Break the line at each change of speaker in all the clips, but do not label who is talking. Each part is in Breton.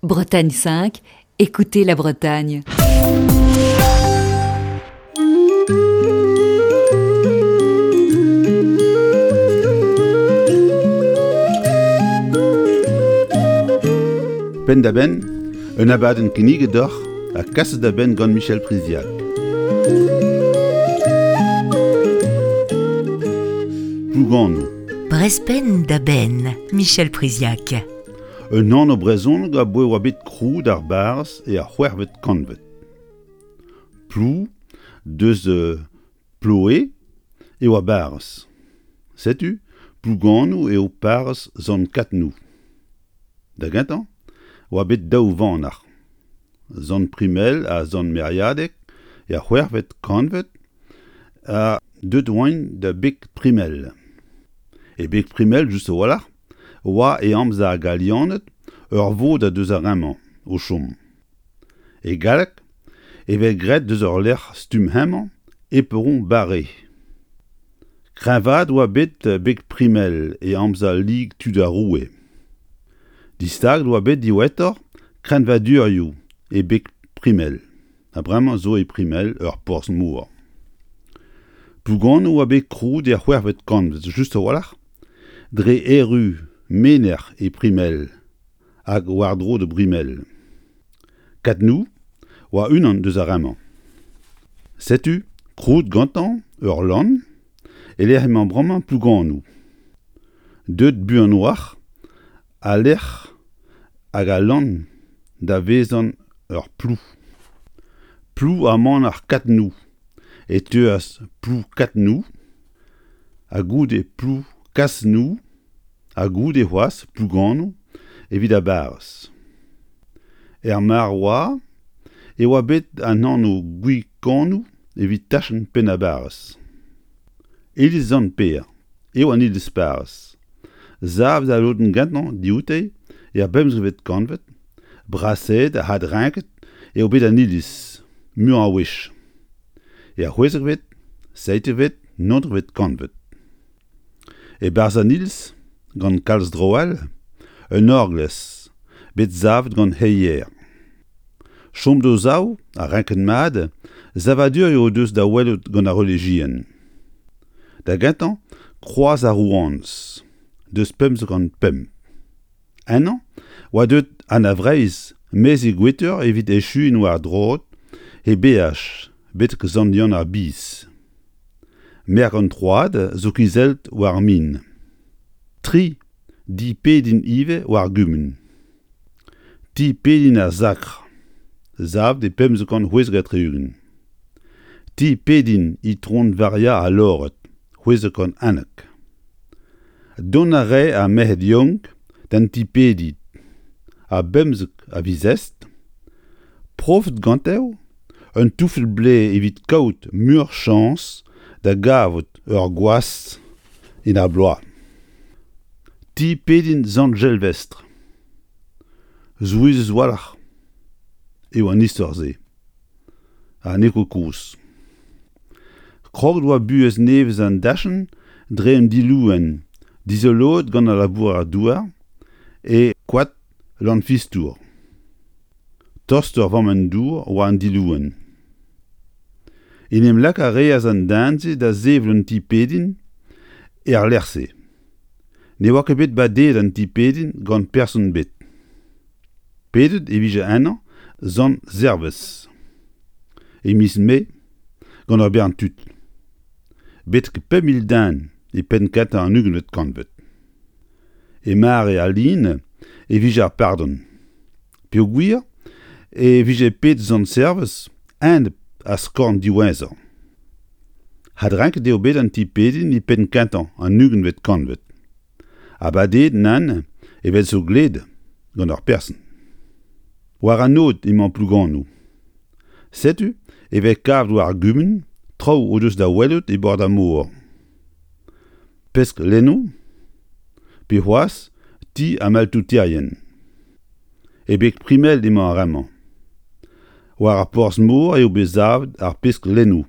Bretagne 5, écoutez la Bretagne.
Penn-da-benn, un abadenn kinniget deoc'h ha kaset da benn gant Michel Priziac. Plouganoù.
Brezpenn da benn, Michel Priziac.
Un anv brezhonek aboe oa bet krouet ar barrez er c'hwec'hvet kantved. Plou, deus Ploe, e oa barrez. Setu Plouganoù eo parrez Sant-Katnou. Da gentañ oa bet daou vanac'h, Sant Primel ha Sant Meriadeg er c'hwec'hvet kantved ha deuet oant da Beg Primel. E Beg Primel just a-walc'h oa e amzer ar Galianed ur vodad eus ar re-mañ o chom. E galleg e vez graet deus ur lec'h stumm hemañ Éperon Barré. Kreñvaet oa bet Beg Primel e amzer Lig tud ar Roue. Distaget oa bet diwezhatoc'h kreñvadurioù e Beg Primel. Ha bremañ zo e Primel ur porzh-mor. Plouganoù oa bet krouet er c'hwec'hvet kantved just a-walc'h dre erru menec'h e Primel hag war-dro da Brimel. Katnou oa unan deus ar re-mañ. Setu krouet gantañ ur lann e-lec'h emañ bremañ Plouganoù. Deuet buan 'oac'h al lec'h hag al lann da vezañ ur plou. Plou ha manac'h Katnou e teuas Plou Katnou ha goude Plou Kasnou ha goude c'hoazh Plouganoù evit ar barrez. Er mare oa e oa bet an anv Gwikanoù evit tachenn penn ar barrez. Iliz Sant-Pêr eo an iliz-parrez. Savet al lodenn gentañ dioute er bemzekvet kantved, brasaet ha adreñket eo bet an iliz, muiañ a wech. Er c'hwezekvet, seitekvet, naontekvet kantved. E-barzh an iliz, gant kalz draoù all, un orglez bet savet gant Heyer. Chom d'o sav ha renket mat, savadurioù o deus da welout gant ar relijion. Da gentañ, Kroaz ar Rouanez, deus 505. Ennañ oa deuet Anna Vreizh maez he gwetur evit echuiñ war droad he beaj betek Sant-Yann ar Biz. Merk an troad zo kizellet war ar min. Tri di pedin ivez war ar gumun. Ti pedin ar Sakr, savet e 1576. Ti pedin Itron Varia al Lored, 611. Dont a rae ar merc'hed yaouank d'an ti-pediñ a bemzek a viz Est, profet gante un touffel blez evit kaout muioc'h chañs da gavout ur gwaz en ar bloaz. Ti pedin Sant Jelvestr. Souezhus a-walc'h eo an istor-se, ha n'eo ket kozh. Kroget oa buhez nevez an dachenn dre un dilouenn dizoloet gant al labourer-douar e koad Lanfistour. Tost ur vammenn-dour oa an dilouenn. En em lak a reas an den-se da sevel un ti-pediñ er lec'h-se. Ne oa ket bet badeet an ti-pediñ gant person ebet. Pedet e vije ennañ Sant Servez e miz Mae gant ur bern tud. Betek 5 000 den e penn-kentañ an ugentvet kantved. E mare al lin e vije ar pardon. Peogwir e vije pet Sant-Servez enep ar skorn diwezhañ. Adrenket eo bet an ti-pediñ e penn-kentañ an ugentvet kantved. Ha badeet nann evel zo gled gant ur person. War an aod emañ Plouganoù. Setu e vez kavet war ar gumun traoù o deus da welout e bord ar mor. Pesk lennoù pe c'hoazh ti ar maltouterien. E beg Primel emañ ar re-mañ. War ar porzh-mor eo bet savet ar pesk lennoù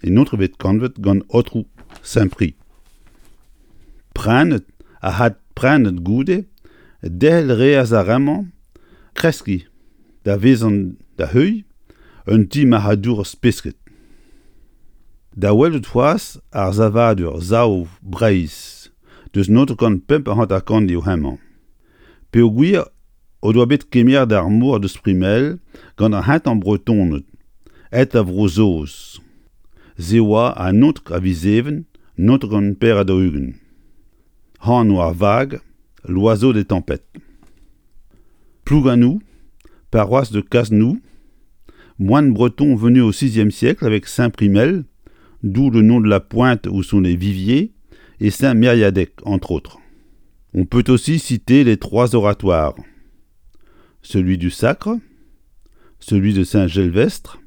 en etreved kantved gant Aotrou Saint-Prix. Prenet ha adprenet goude, derc'hel 'reas ar re-mañ kreskiñ da vezañ da heuilh un ti marc'hadourezh pesked. Da welout c'hoazh ar savadur Sav Breizh deus 955 eo hemañ. Peogwir o doa bet kemeret ar mor deus Primel gant ar c'hentañ Bretoned aet da Vro-Saoz. Se oa an 19 a viz Even 1944. Anv ar vag L'Oiseau des Tempêtes. Plouganou, paroisse de Casnou, moine breton venu au VIe siècle avec Saint-Primel, d'où le nom de la pointe où sont les viviers, et Saint-Mériadec, entre autres. On peut aussi citer les trois oratoires, celui du Sacre, celui de Saint-Gelvestre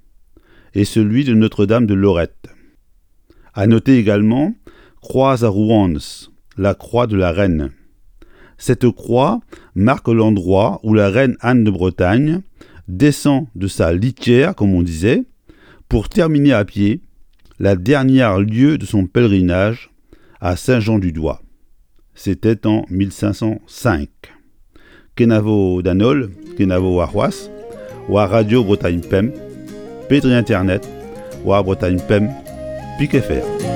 et celui de Notre-Dame de Lorette. À noter également Croix à Rouans, la croix de la reine. Cette croix marque l'endroit où la reine Anne de Bretagne descend de sa litière, comme on disait, pour terminer à pied la dernière lieue de son pèlerinage à Saint-Jean-du-Doigt. C'était en 1505. Kenavo d'an holl, kenavo warc'hoazh, war Radio Bretagne Pemp, pe dre internet, war Bretagne Pemp, pik FR.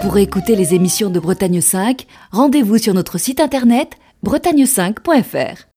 Pour écouter les émissions de Bretagne 5, rendez-vous sur notre site internet bretagne5.fr.